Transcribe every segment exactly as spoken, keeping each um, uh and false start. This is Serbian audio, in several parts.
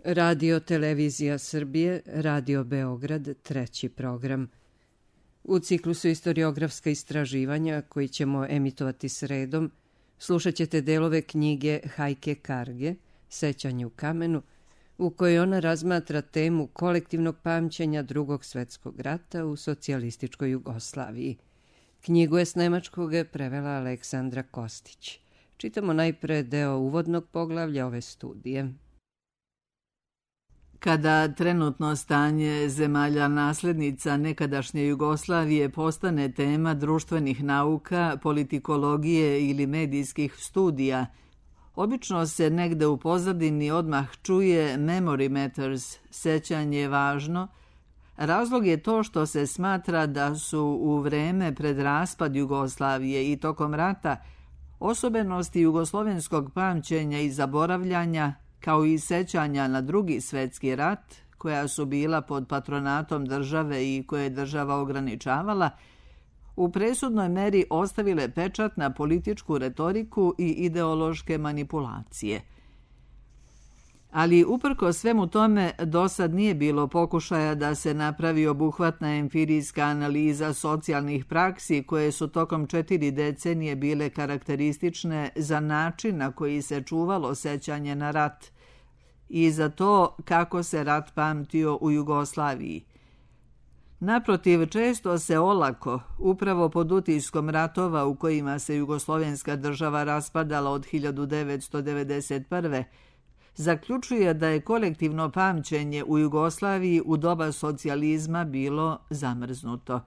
Radio Televizija Srbije, Radio Beograd, treći program. U ciklusu Istoriografska istraživanja, koji ćemo emitovati sredom, slušat ćete delove knjige Hajke Karge, Sećanje u kamenu, u kojoj ona razmatra temu kolektivnog pamćenja Drugog svetskog rata u socijalističkoj Jugoslaviji. Knjigu je s nemačkog prevela Aleksandra Kostić. Čitamo najpre deo uvodnog poglavlja ove studije. Kada trenutno stanje zemalja naslednica nekadašnje Jugoslavije postane tema društvenih nauka, politikologije ili medijskih studija, obično se negde u pozadini odmah čuje memory matters, sećanje je važno. Razlog je to što se smatra da su u vreme pred raspad Jugoslavije i tokom rata osobenosti jugoslovenskog pamćenja i zaboravljanja, kao i sećanja na Drugi svetski rat, koja su bila pod patronatom države i koje je država ograničavala, u presudnoj meri ostavile pečat na političku retoriku i ideološke manipulacije. Ali uprko svemu tome, do sad nije bilo pokušaja da se napravi obuhvatna empirijska analiza socijalnih praksi koje su tokom četiri decenije bile karakteristične za način na koji se čuvalo sećanje na rat i za to kako se rat pamtio u Jugoslaviji. Naprotiv, često se olako, upravo pod utiskom ratova u kojima se jugoslovenska država raspadala od hiljadu devetsto devedeset prve. zaključuje da je kolektivno pamćenje u Jugoslaviji u doba socijalizma bilo zamrznuto.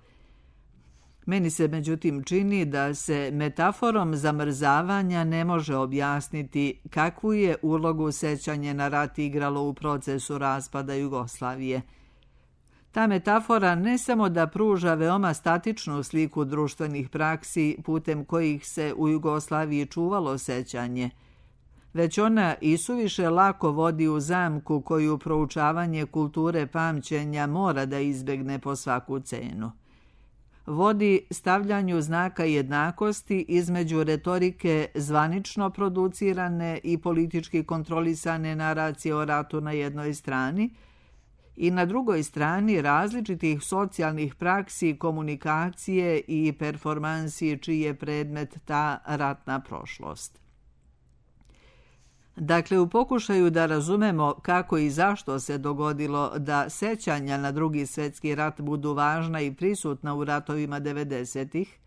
Meni se međutim čini da se metaforom zamrzavanja ne može objasniti kakvu je ulogu sećanje na rat igralo u procesu raspada Jugoslavije. Ta metafora ne samo da pruža veoma statičnu sliku društvenih praksi putem kojih se u Jugoslaviji čuvalo sećanje, već ona isuviše lako vodi u zamku koju proučavanje kulture pamćenja mora da izbegne po svaku cenu. Vodi stavljanju znaka jednakosti između retorike zvanično producirane i politički kontrolisane naracije o ratu na jednoj strani i na drugoj strani različitih socijalnih praksi, komunikacije i performansi čiji je predmet ta ratna prošlost. Dakle, u pokušaju da razumemo kako i zašto se dogodilo da sećanja na Drugi svetski rat budu važna i prisutna u ratovima devedesetih,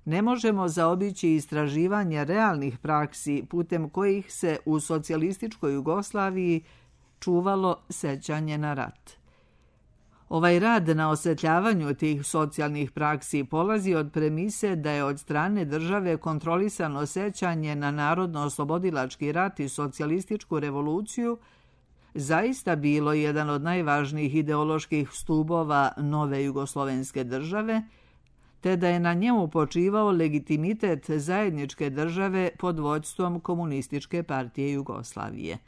ne možemo zaobići istraživanje realnih praksi putem kojih se u socijalističkoj Jugoslaviji čuvalo sećanje na rat. Ovaj rad na osvetljavanju tih socijalnih praksi polazi od premise da je od strane države kontrolisano sećanje na narodno-oslobodilački rat i socijalističku revoluciju zaista bilo jedan od najvažnijih ideoloških stubova nove jugoslovenske države, te da je na njemu počivao legitimitet zajedničke države pod vođstvom Komunističke partije Jugoslavije.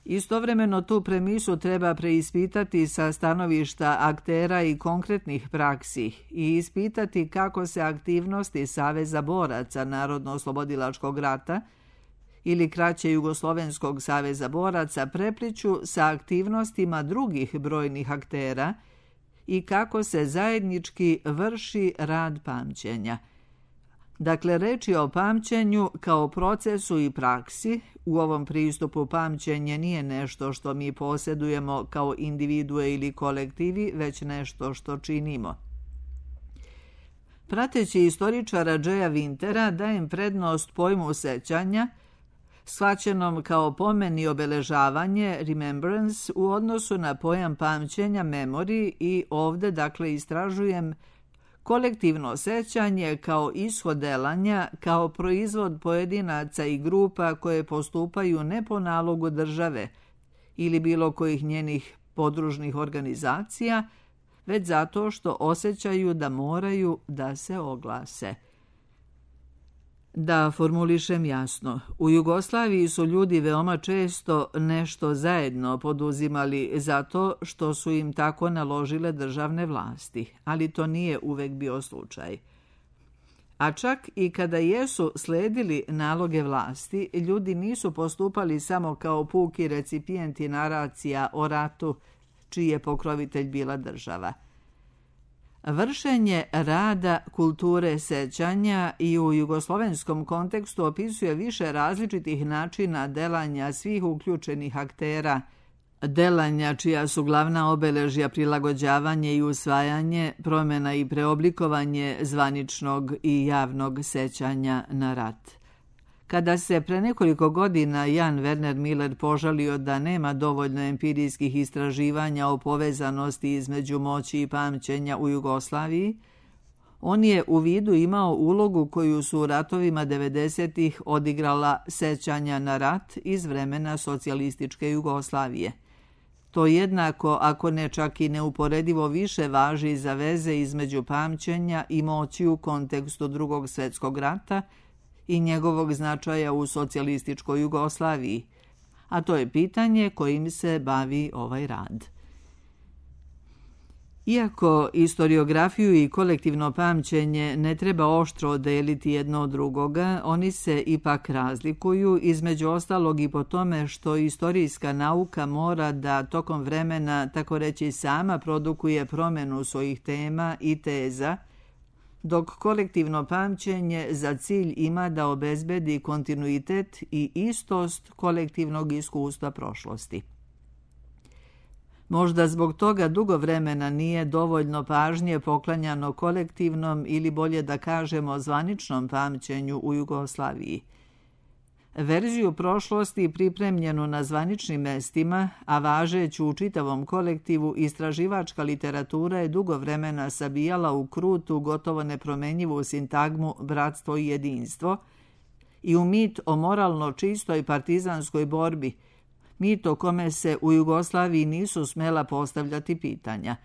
Istovremeno tu premisu treba preispitati sa stanovišta aktera i konkretnih praksi i ispitati kako se aktivnosti Saveza boraca Narodno-oslobodilačkog rata ili kraće Jugoslovenskog saveza boraca prepliću sa aktivnostima drugih brojnih aktera i kako se zajednički vrši rad pamćenja. Dakle, reč je o pamćenju kao procesu i praksi. U ovom pristupu pamćenje nije nešto što mi posjedujemo kao individue ili kolektivi, već nešto što činimo. Prateći istoričara Jaya Wintera dajem prednost pojmu sećanja, shvaćenom kao pomen i obeležavanje, remembrance, u odnosu na pojam pamćenja, memory, i ovde dakle istražujem kolektivno sećanje kao ishod delanja, kao proizvod pojedinaca i grupa koje postupaju ne po nalogu države ili bilo kojih njenih podružnih organizacija, već zato što osjećaju da moraju da se oglase. Da formulišem jasno, u Jugoslaviji su ljudi veoma često nešto zajedno poduzimali zato što su im tako naložile državne vlasti, ali to nije uvek bio slučaj. A čak i kada jesu sledili naloge vlasti, ljudi nisu postupali samo kao puki recipijenti naracija o ratu, čiji je pokrovitelj bila država. Vršenje rada kulture sećanja i u jugoslovenskom kontekstu opisuje više različitih načina delanja svih uključenih aktera, delanja čija su glavna obeležja prilagođavanje i usvajanje, promjena i preoblikovanje zvaničnog i javnog sećanja na rat. Kada se pre nekoliko godina Jan Werner Miller požalio da nema dovoljno empirijskih istraživanja o povezanosti između moći i pamćenja u Jugoslaviji, on je u vidu imao ulogu koju su u ratovima devedesetih odigrala sećanja na rat iz vremena socijalističke Jugoslavije. To jednako, ako ne čak i neuporedivo više, važi za veze između pamćenja i moći u kontekstu Drugog svjetskog rata i njegovog značaja u socijalističkoj Jugoslaviji, a to je pitanje kojim se bavi ovaj rad. Iako istoriografiju i kolektivno pamćenje ne treba oštro deliti jedno od drugoga, oni se ipak razlikuju, između ostalog i po tome što istorijska nauka mora da tokom vremena, tako reći, sama produkuje promjenu svojih tema i teza, dok kolektivno pamćenje za cilj ima da obezbedi kontinuitet i istost kolektivnog iskustva prošlosti. Možda zbog toga dugo vremena nije dovoljno pažnje poklanjano kolektivnom ili bolje da kažemo zvaničnom pamćenju u Jugoslaviji. Verziju prošlosti pripremljenu na zvaničnim mestima, a važeću u čitavom kolektivu, istraživačka literatura je dugo vremena sabijala u krutu, gotovo nepromenjivu sintagmu bratstvo i jedinstvo i u mit o moralno čistoj partizanskoj borbi, mit o kome se u Jugoslaviji nisu smela postavljati pitanja.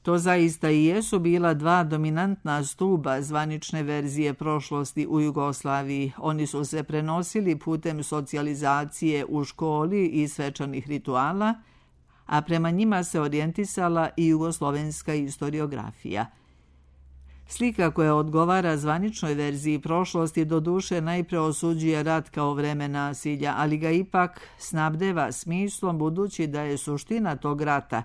To zaista i jesu bila dva dominantna stuba zvanične verzije prošlosti u Jugoslaviji. Oni su se prenosili putem socijalizacije u školi i svečanih rituala, a prema njima se orijentisala i jugoslovenska istoriografija. Slika koja odgovara zvaničnoj verziji prošlosti doduše najpre osuđuje rat kao vreme nasilja, ali ga ipak snabdeva smislom, budući da je suština tog rata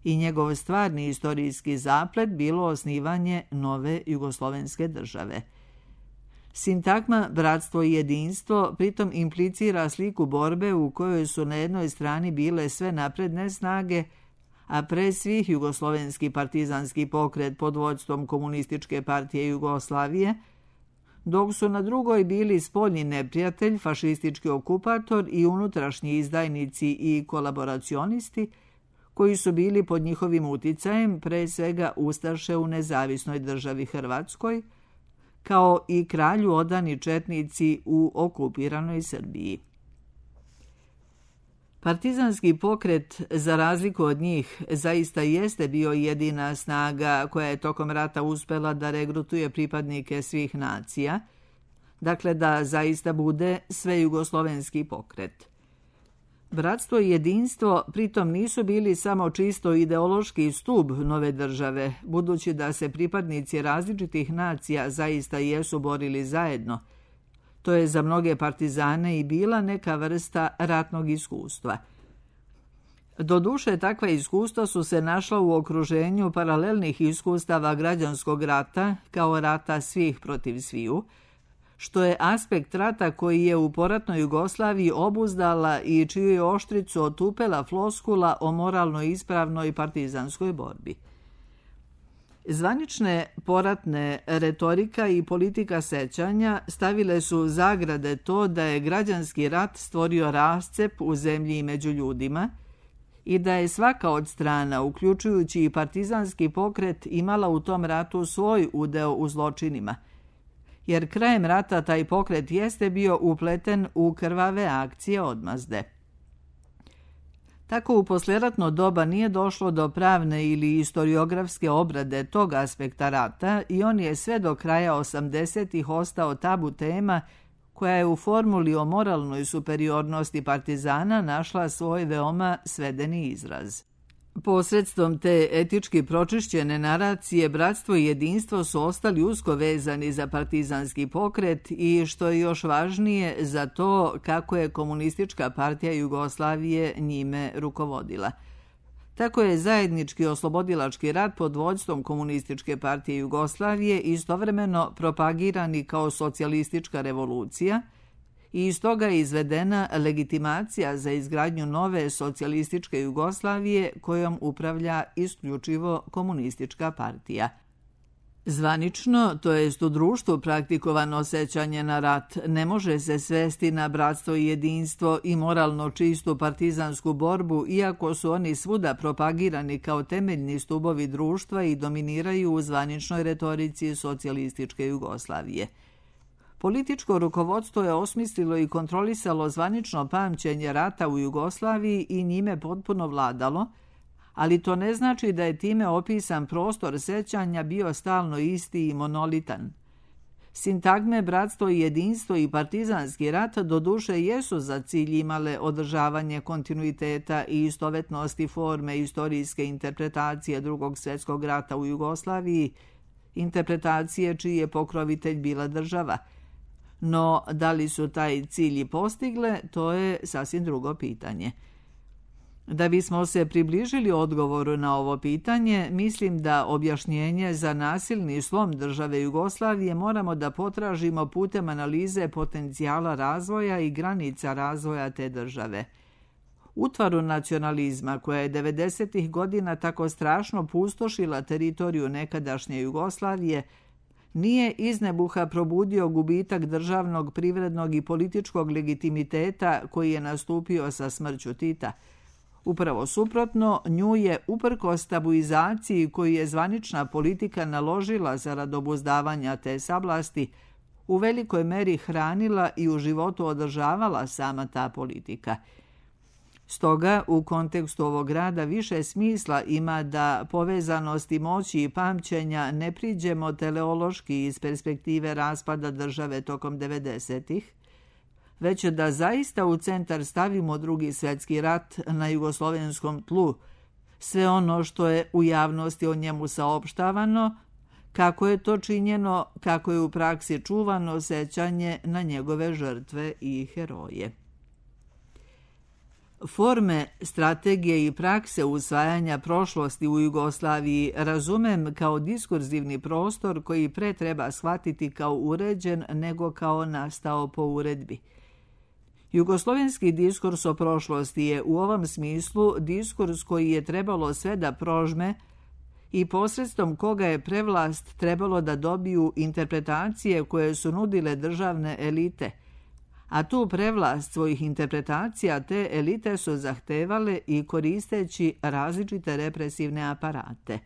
i njegov stvarni istorijski zaplet bilo osnivanje nove jugoslovenske države. Sintagma bratstvo i jedinstvo pritom implicira sliku borbe u kojoj su na jednoj strani bile sve napredne snage, a pre svih jugoslovenski partizanski pokret pod vođstvom Komunističke partije Jugoslavije, dok su na drugoj bili spoljni neprijatelj, fašistički okupator i unutrašnji izdajnici i kolaboracionisti, koji su bili pod njihovim uticajem, pre svega ustaše u nezavisnoj državi Hrvatskoj, kao i kralju odani četnici u okupiranoj Srbiji. Partizanski pokret, za razliku od njih, zaista jeste bio jedina snaga koja je tokom rata uspela da regrutuje pripadnike svih nacija, dakle da zaista bude svejugoslovenski pokret. Bratstvo i jedinstvo pritom nisu bili samo čisto ideološki stub nove države, budući da se pripadnici različitih nacija zaista jesu borili zajedno. To je za mnoge partizane i bila neka vrsta ratnog iskustva. Doduše, takva iskustva su se našla u okruženju paralelnih iskustava građanskog rata, kao rata svih protiv sviju, što je aspekt rata koji je u poratnoj Jugoslaviji obuzdala i čiju je oštricu otupela floskula o moralno ispravnoj partizanskoj borbi. Zvanične poratne retorika i politika sećanja stavile su zagrade to da je građanski rat stvorio rascep u zemlji i među ljudima i da je svaka od strana, uključujući i partizanski pokret, imala u tom ratu svoj udeo u zločinima, jer krajem rata taj pokret jeste bio upleten u krvave akcije odmazde. Tako u poslijeratno doba nije došlo do pravne ili istoriografske obrade tog aspekta rata i on je sve do kraja osamdesetih ostao tabu tema koja je u formuli o moralnoj superiornosti partizana našla svoj veoma svedeni izraz. Posredstvom te etički pročišćene naracije, bratstvo i jedinstvo su ostali usko vezani za partizanski pokret i, što je još važnije, za to kako je Komunistička partija Jugoslavije njime rukovodila. Tako je zajednički oslobodilački rat pod vođstvom Komunističke partije Jugoslavije istovremeno propagirani kao socijalistička revolucija i iz toga je izvedena legitimacija za izgradnju nove socijalističke Jugoslavije kojom upravlja isključivo Komunistička partija. Zvanično, to jest u društvu praktikovano sećanje na rat, ne može se svesti na bratstvo i jedinstvo i moralno čistu partizansku borbu, iako su oni svuda propagirani kao temeljni stubovi društva i dominiraju u zvaničnoj retorici socijalističke Jugoslavije. Političko rukovodstvo je osmislilo i kontrolisalo zvanično pamćenje rata u Jugoslaviji i njime potpuno vladalo, ali to ne znači da je time opisan prostor sećanja bio stalno isti i monolitan. Sintagme bratstvo i jedinstvo i partizanski rat doduše jesu za cilj imale održavanje kontinuiteta i istovetnosti forme istorijske interpretacije Drugog svjetskog rata u Jugoslaviji, interpretacije čiji je pokrovitelj bila država. No, da li su taj cilj i postigle, to je sasvim drugo pitanje. Da bismo se približili odgovoru na ovo pitanje, mislim da objašnjenje za nasilni slom države Jugoslavije moramo da potražimo putem analize potencijala razvoja i granica razvoja te države. Utvaru nacionalizma, koja je devedesetih godina tako strašno pustošila teritoriju nekadašnje Jugoslavije, nije iz nebuha probudio gubitak državnog, privrednog i političkog legitimiteta koji je nastupio sa smrću Tita. Upravo suprotno, nju je uprkos tabuizaciji koju je zvanična politika naložila zarad obuzdavanja te sablasti, u velikoj meri hranila i u životu održavala sama ta politika. Stoga, u kontekstu ovog rada više smisla ima da povezanosti moći i pamćenja ne priđemo teleološki iz perspektive raspada države tokom devedesetih, već da zaista u centar stavimo Drugi svjetski rat na jugoslovenskom tlu, sve ono što je u javnosti o njemu saopštavano, kako je to činjeno, kako je u praksi čuvano sećanje na njegove žrtve i heroje. Forme, strategije i prakse usvajanja prošlosti u Jugoslaviji razumem kao diskurzivni prostor koji pre treba shvatiti kao uređen nego kao nastao po uredbi. Jugoslovenski diskurs o prošlosti je u ovom smislu diskurs koji je trebalo sve da prožme i posredstvom koga je prevlast trebalo da dobiju interpretacije koje su nudile državne elite, a tu prevlast svojih interpretacija te elite su zahtevale i koristeći različite represivne aparate.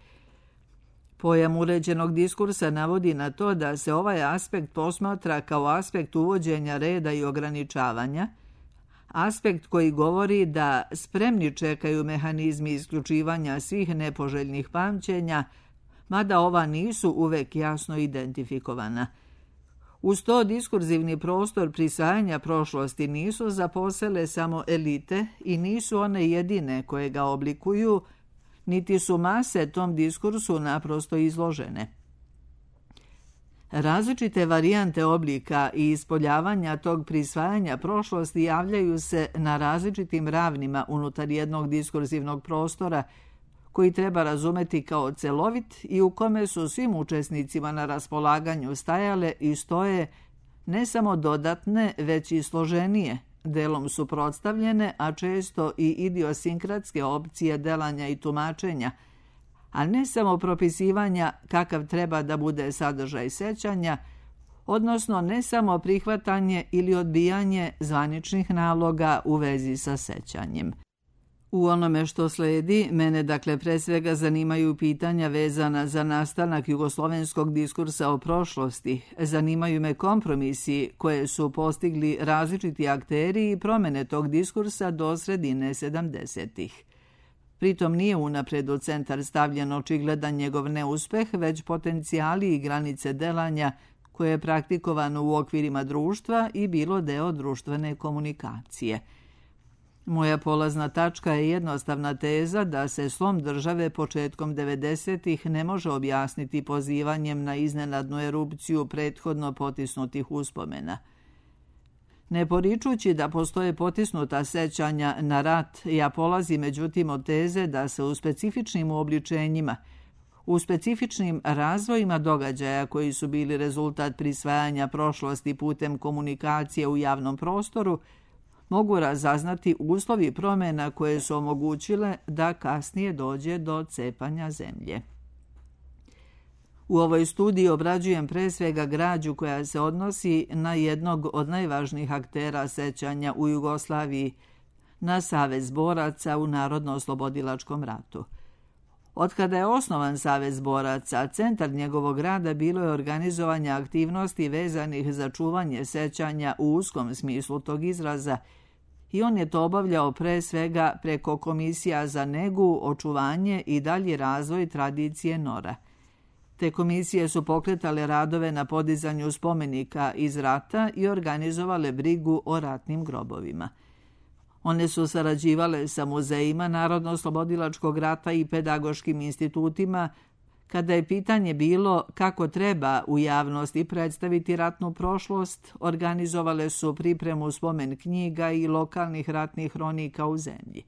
Pojam uređenog diskursa navodi na to da se ovaj aspekt posmatra kao aspekt uvođenja reda i ograničavanja, aspekt koji govori da spremni čekaju mehanizmi isključivanja svih nepoželjnih pamćenja, mada ova nisu uvek jasno identifikovana. Uz to diskurzivni prostor prisvajanja prošlosti nisu zaposele samo elite i nisu one jedine koje ga oblikuju, niti su mase tom diskursu naprosto izložene. Različite varijante oblika i ispoljavanja tog prisvajanja prošlosti javljaju se na različitim ravnima unutar jednog diskurzivnog prostora koji treba razumeti kao celovit i u kome su svim učesnicima na raspolaganju stajale i stoje ne samo dodatne, već i složenije, delom suprotstavljene, a često i idiosinkratske opcije delanja i tumačenja, a ne samo propisivanja kakav treba da bude sadržaj sećanja, odnosno ne samo prihvatanje ili odbijanje zvaničnih naloga u vezi sa sećanjem. U onome što sledi, mene dakle pre svega zanimaju pitanja vezana za nastanak jugoslovenskog diskursa o prošlosti, zanimaju me kompromisi koje su postigli različiti akteri i promene tog diskursa do sredine sedamdesetih. Pritom nije unapred u centar stavljen očigledan njegov neuspeh, već potencijali i granice delanja koje je praktikovano u okvirima društva i bilo deo društvene komunikacije. Moja polazna tačka je jednostavna teza da se slom države početkom devedesetih ne može objasniti pozivanjem na iznenadnu erupciju prethodno potisnutih uspomena. Ne poričući da postoje potisnuta sećanja na rat, ja polazim međutim od teze da se u specifičnim uobličenjima, u specifičnim razvojima događaja koji su bili rezultat prisvajanja prošlosti putem komunikacije u javnom prostoru, mogu razaznati uslovi promjena koje su omogućile da kasnije dođe do cepanja zemlje. U ovoj studiji obrađujem pre svega građu koja se odnosi na jednog od najvažnijih aktera sećanja u Jugoslaviji, na Savez boraca u Narodno-oslobodilačkom ratu. Otkada je osnovan Savez boraca, centar njegovog rada bilo je organizovanje aktivnosti vezanih za čuvanje sećanja u uskom smislu tog izraza i on je to obavljao pre svega preko komisija za negu, očuvanje i dalji razvoj tradicije Nora. Te komisije su pokretale radove na podizanju spomenika iz rata i organizovale brigu o ratnim grobovima. One su sarađivale sa muzejima Narodno-oslobodilačkog rata i pedagoškim institutima kada je pitanje bilo kako treba u javnosti predstaviti ratnu prošlost, organizovale su pripremu spomen knjiga i lokalnih ratnih hronika u zemlji.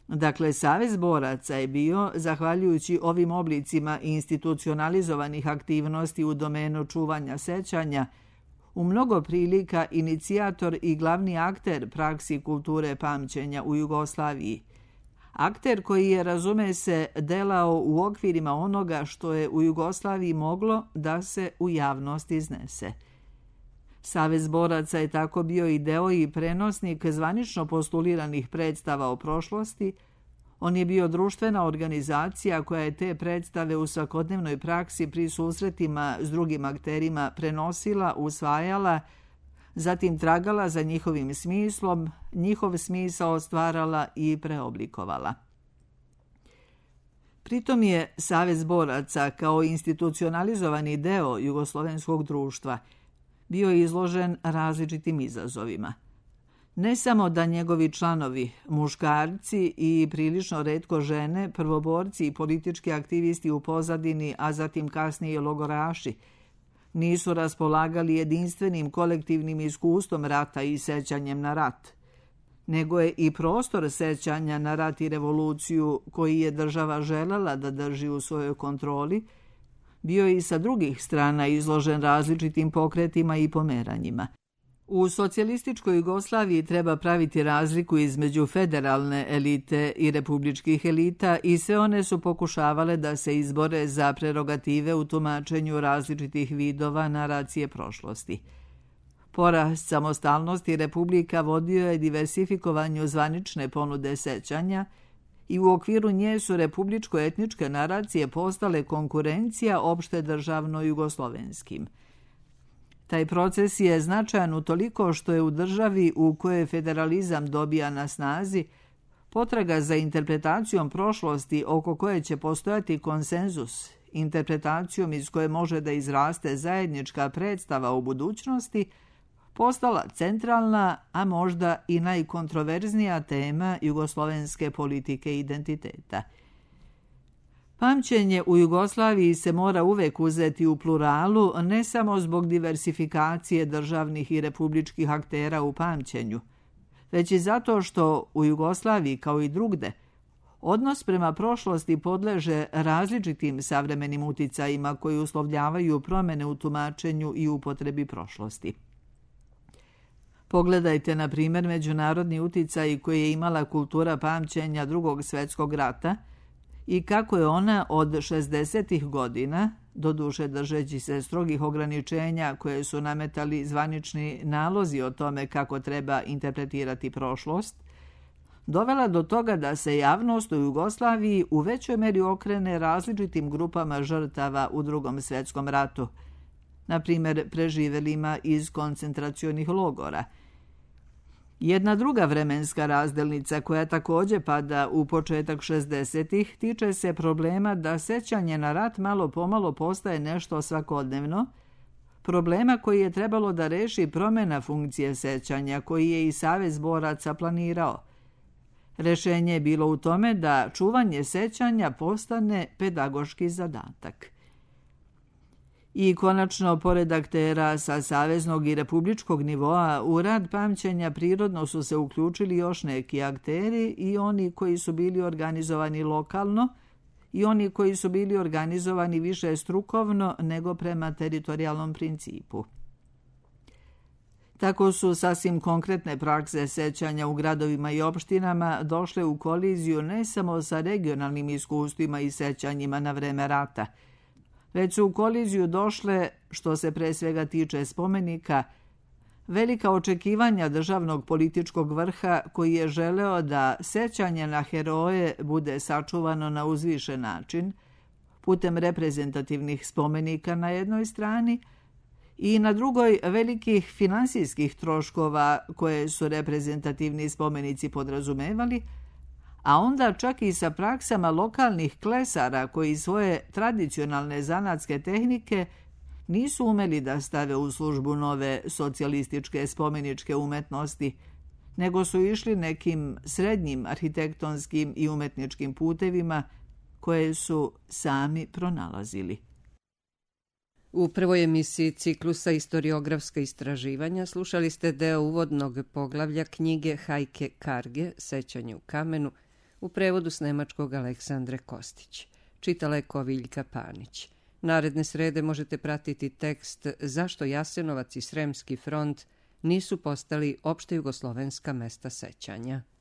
Dakle, Savez boraca je bio, zahvaljujući ovim oblicima institucionalizovanih aktivnosti u domenu čuvanja sećanja, u mnogo prilika inicijator i glavni akter praksi kulture pamćenja u Jugoslaviji. Akter koji je, razume se, delao u okvirima onoga što je u Jugoslaviji moglo da se u javnosti iznese. Savez boraca je tako bio i deo i prenosnik zvanično postuliranih predstava o prošlosti. On je bio društvena organizacija koja je te predstave u svakodnevnoj praksi pri susretima s drugim akterima prenosila, usvajala, zatim tragala za njihovim smislom, njihov smisao stvarala i preoblikovala. Pritom je Savez boraca kao institucionalizovani deo jugoslovenskog društva bio izložen različitim izazovima. Ne samo da njegovi članovi, muškarci i prilično retko žene, prvoborci i politički aktivisti u pozadini, a zatim kasnije logoraši, nisu raspolagali jedinstvenim kolektivnim iskustvom rata i sećanjem na rat, nego je i prostor sećanja na rat i revoluciju koji je država želela da drži u svojoj kontroli, bio je i sa drugih strana izložen različitim pokretima i pomeranjima. U socijalističkoj Jugoslaviji treba praviti razliku između federalne elite i republičkih elita i sve one su pokušavale da se izbore za prerogative u tumačenju različitih vidova naracije prošlosti. Porast samostalnosti republika vodio je diversifikovanju zvanične ponude sećanja i u okviru nje su republičko-etničke naracije postale konkurencija opšte državno jugoslovenskim. Taj proces je značajan utoliko što je u državi u kojoj federalizam dobija na snazi potraga za interpretacijom prošlosti oko koje će postojati konsenzus, interpretacijom iz koje može da izraste zajednička predstava u budućnosti, postala centralna, a možda i najkontroverznija tema jugoslovenske politike identiteta. Pamćenje u Jugoslaviji se mora uvek uzeti u pluralu, ne samo zbog diversifikacije državnih i republičkih aktera u pamćenju, već i zato što u Jugoslaviji, kao i drugde, odnos prema prošlosti podleže različitim savremenim uticajima koji uslovljavaju promjene u tumačenju i upotrebi prošlosti. Pogledajte, na primjer, međunarodni uticaj koji je imala kultura pamćenja Drugog svjetskog rata i kako je ona od šezdesetih godina, doduše držeći se strogih ograničenja koje su nametali zvanični nalozi o tome kako treba interpretirati prošlost, dovela do toga da se javnost u Jugoslaviji u većoj meri okrene različitim grupama žrtava u Drugom svjetskom ratu, na primjer preživelima iz koncentracionih logora. Jedna druga vremenska razdelnica koja također pada u početak šezdesetih tiče se problema da sećanje na rat malo pomalo postaje nešto svakodnevno, problema koji je trebalo da reši promjena funkcije sećanja, koji je i Savez boraca planirao. Rešenje je bilo u tome da čuvanje sećanja postane pedagoški zadatak. I konačno, pored aktera sa saveznog i republičkog nivoa, u rad pamćenja prirodno su se uključili još neki akteri, i oni koji su bili organizovani lokalno i oni koji su bili organizovani više strukovno nego prema teritorijalnom principu. Tako su sasvim konkretne prakse sećanja u gradovima i opštinama došle u koliziju ne samo sa regionalnim iskustvima i sećanjima na vreme rata, već su u koliziju došle, što se pre svega tiče spomenika, velika očekivanja državnog političkog vrha koji je želeo da sećanje na heroje bude sačuvano na uzvišen način, putem reprezentativnih spomenika na jednoj strani i na drugoj velikih finansijskih troškova koje su reprezentativni spomenici podrazumevali, a onda čak i sa praksama lokalnih klesara koji svoje tradicionalne zanatske tehnike nisu umeli da stave u službu nove socijalističke spomeničke umetnosti, nego su išli nekim srednjim arhitektonskim i umetničkim putevima koje su sami pronalazili. U prvoj emisiji ciklusa Istoriografska istraživanja slušali ste deo uvodnog poglavlja knjige Hajke Karge Sećanje u kamenu u prevodu s nemačkog Aleksandre Kostić. Čitala je Koviljka Panić. Naredne srede možete pratiti tekst Zašto Jasenovac i Sremski front nisu postali opšte jugoslovenska mesta sećanja.